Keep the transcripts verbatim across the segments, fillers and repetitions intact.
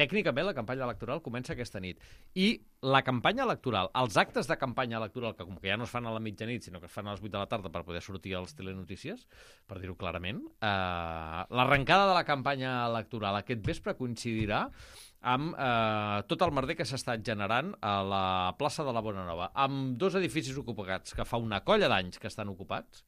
tècnicament la campanya electoral comença aquesta nit. I la campanya electoral, els actes de campanya electoral, que com que ja no es fan a la mitjanit, sinó que es fan a les vuit de la tarda per poder sortir als telenotícies, per dir-ho clarament, eh, l'arrencada de la campanya electoral aquest vespre coincidirà amb eh, tot el merder que s'ha estat generant a la plaça de la Bonanova, amb dos edificis ocupats que fa una colla d'anys que estan ocupats,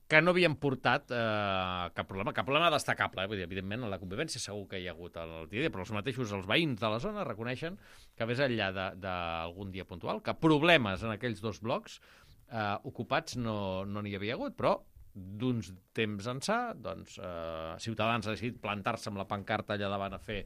que no havien portat eh, cap problema, cap problema destacable. Eh? Vull dir, evidentment, en la convivència segur que hi ha hagut el dia, però els mateixos, els veïns de la zona, reconeixen que més enllà d'algun dia puntual, que problemes en aquells dos blocs eh, ocupats no n'hi no havia hagut, però d'uns temps ençà, doncs, eh, Ciutadans ha decidit plantar-se amb la pancarta allà davant a fer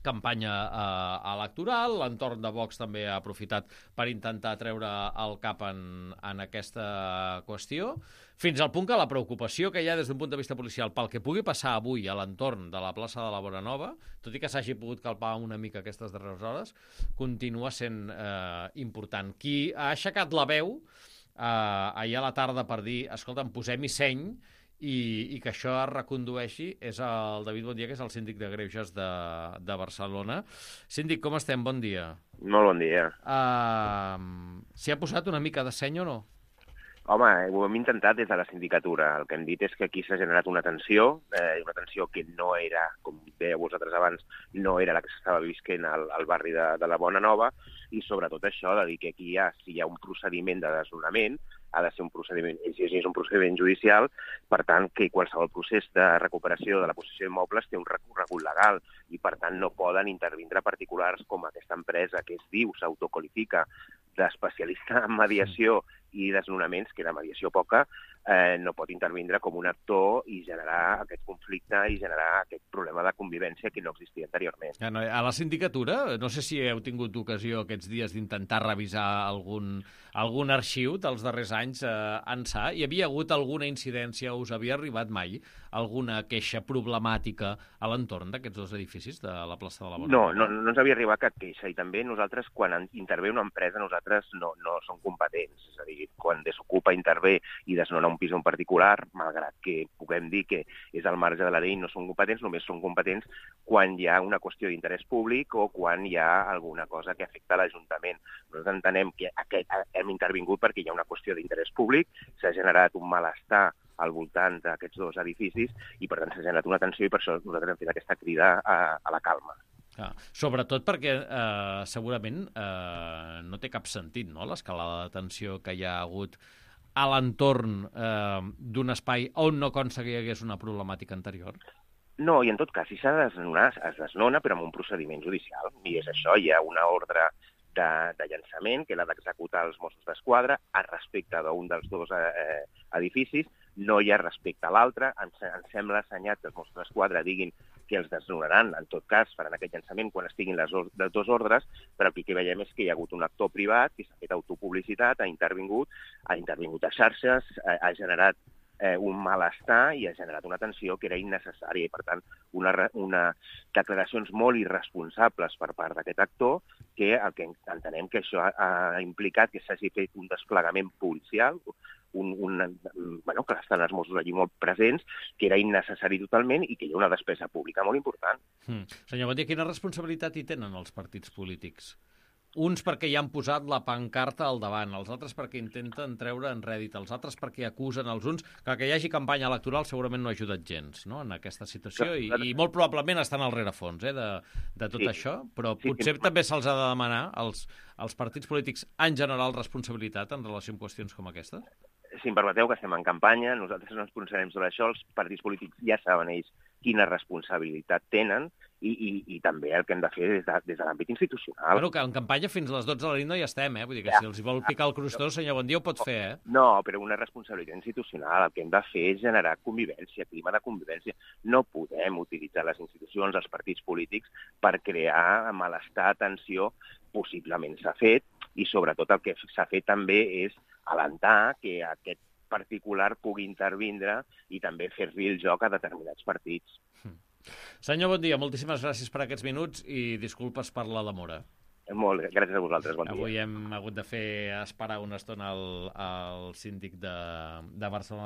campanya eh, electoral, l'entorn de Vox també ha aprofitat per intentar treure el cap en, en aquesta qüestió, fins al punt que la preocupació que hi ha des d'un punt de vista policial pel que pugui passar avui a l'entorn de la plaça de la Bonanova, tot i que s'hagi pogut calpar una mica aquestes darreres hores, continua sent eh, important. Qui ha aixecat la veu eh, ahir a la tarda per dir, escolta'm, posem-hi seny, I, i que això es recondueixi és el David Bondia, que és el síndic de Greuges de, de Barcelona. Síndic, com estem? Bon dia. Molt bon dia. Uh, S'hi ha posat una mica de seny o no? Home, ho hem intentat des de la sindicatura. El que hem dit és que aquí s'ha generat una tensió, eh, una tensió que no era, com dèieu vosaltres abans, no era la que s'estava visquent al, al barri de, de la Bonanova, i sobretot això de dir que aquí hi ha, si hi ha un procediment de desnonament, ha de ser un procediment, si és un procediment judicial, per tant, que qualsevol procés de recuperació de la possessió d'immobles té un recorregut legal i, per tant, no poden intervindre particulars com aquesta empresa que es diu, s'autoqualifica d'especialista en mediació i desnonaments, que la mediació poca, eh, no pot intervindre com un actor i generar aquest conflicte i generar aquest problema de convivència que no existia anteriorment. Ja, no, a la sindicatura, no sé si heu tingut ocasió aquests dies d'intentar revisar algun, algun arxiu dels darrers anys eh, ençà. Hi havia hagut alguna incidència, us havia arribat mai alguna queixa problemàtica a l'entorn d'aquests dos edificis de la plaça de la Bonanova? No, no, no ens havia arribat cap queixa, i també nosaltres, quan intervé una empresa, nosaltres no, no som competents. És a dir, quan desocupa, intervé i desnona un pis en particular, malgrat que puguem dir que és al marge de la llei, no som competents, només som competents quan hi ha una qüestió d'interès públic o quan hi ha alguna cosa que afecta l'Ajuntament. Nosaltres entenem que aquest, hem intervingut perquè hi ha una qüestió d'interès públic, s'ha generat un malestar al voltant d'aquests dos edificis i, per tant, s'ha generat una tensió i per això nosaltres hem fet aquesta crida a, a la calma. Ah, sobretot perquè eh, segurament eh, no té cap sentit, no?, l'escalada de tensió que hi ha hagut a l'entorn eh, d'un espai on no consta que hi hagués una problemàtica anterior. No, i en tot cas, si s'ha de desnonar, es desnona, però amb un procediment judicial. I és això, hi ha una ordre de, de llançament que l'ha d'executar els Mossos d'Esquadra a respecte d'un dels dos eh, edificis, no hi ha respecte a l'altre. Ens, ens sembla assenyat que els Mossos d'Esquadra diguin que els desnonaran, en tot cas faran aquest llançament quan estiguin les, les dues ordres, però el que veiem és que hi ha hagut un actor privat que s'ha fet autopublicitat, ha intervingut, ha intervingut a xarxes, ha, ha generat eh, un malestar i ha generat una tensió que era innecessària i, per tant, una, una declaracions molt irresponsables per part d'aquest actor, que el que entenem que això ha, ha implicat que s'hagi fet un desplegament policial, un, un, bueno, que estan els Mossos allí molt presents, que era innecessari totalment i que hi ha una despesa pública molt important. Mm. Senyor Bondia, quina responsabilitat hi tenen els partits polítics? Uns perquè hi han posat la pancarta al davant, els altres perquè intenten treure en rèdit, els altres perquè acusen els uns, que que hi hagi campanya electoral segurament no ha ajudat gens, no?, en aquesta situació, i, i molt probablement estan al rerefons eh, de, de tot sí. això, però sí, potser sí. també se'ls ha de demanar als, als partits polítics en general responsabilitat en relació amb qüestions com aquestes? Si em permeteu, que estem en campanya, nosaltres no ens pronunciarem sobre això, els partits polítics ja saben ells quina responsabilitat tenen i, i, i també el que hem de fer des de, des de l'àmbit institucional. Bueno, que en campanya fins a les dotze de la nit no hi estem, eh? Vull dir que ja, si els vol picar el crostó, senyor Bondia, ho pot fer, eh? No, però una responsabilitat institucional. El que hem de fer és generar convivència, clima de convivència. No podem utilitzar les institucions, els partits polítics, per crear malestar, tensió. Possiblement s'ha fet, i sobretot el que s'ha fet també és alentar que aquest particular pugui intervindre i també fer-li el joc a determinats partits. Senyor Bondia, moltíssimes gràcies per aquests minuts i disculpes per la demora. Molt, gràcies a vosaltres, bon dia. Avui hem hagut de fer esperar una estona al, al síndic de, de Barcelona,